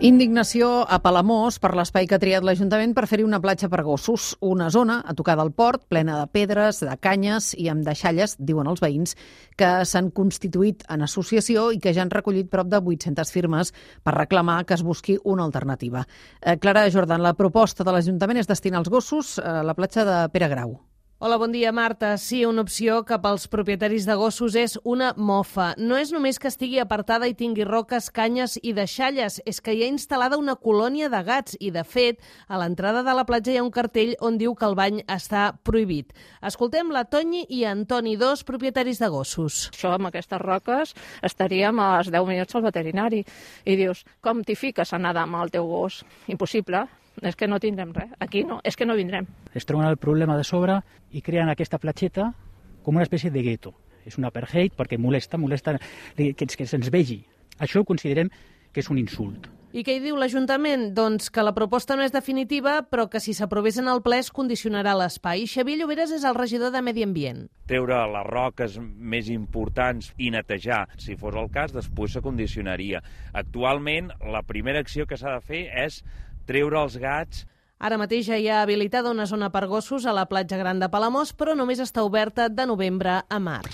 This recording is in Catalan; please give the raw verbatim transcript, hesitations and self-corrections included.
Indignació a Palamós per l'espai que ha triat l'Ajuntament per fer-hi una platja per gossos. Una zona a tocar del port, plena de pedres, de canyes i amb deixalles, diuen els veïns, que s'han constituït en associació i que ja han recollit prop de vuit-centes firmes per reclamar que es busqui una alternativa. Eh, Clara Jordan, la proposta de l'Ajuntament és destinar els gossos a la platja de Pere Grau. Hola, bon dia, Marta. Sí, una opció que pels propietaris de gossos és una mofa. No és només que estigui apartada i tingui roques, canyes i deixalles, és que hi ha instal·lada una colònia de gats i, de fet, a l'entrada de la platja hi ha un cartell on diu que el bany està prohibit. Escoltem la Toñi i Antoni, dos propietaris de gossos. Això, amb aquestes roques, estaríem als deu minuts al veterinari. I dius, com t'hi fiques a nedar amb el teu gos? Impossible. És que no tindrem res. Aquí no, és que no vindrem. Es troben el problema de sobre i creen aquesta platgeta com una espècie de gueto. És un apartheid perquè molesta, molesta que, que se'ns vegi. Això ho considerem que és un insult. I què hi diu l'Ajuntament? Doncs que la proposta no és definitiva, però que si s'aprovés en el ple es condicionarà l'espai. Xavier Lloberes és el regidor de Medi Ambient. Treure les roques més importants i netejar, si fos el cas, després se condicionaria. Actualment, la primera acció que s'ha de fer és treure els gats. Ara mateix ja hi ha habilitada una zona per gossos a la platja Gran de Palamós, però només està oberta de novembre a març.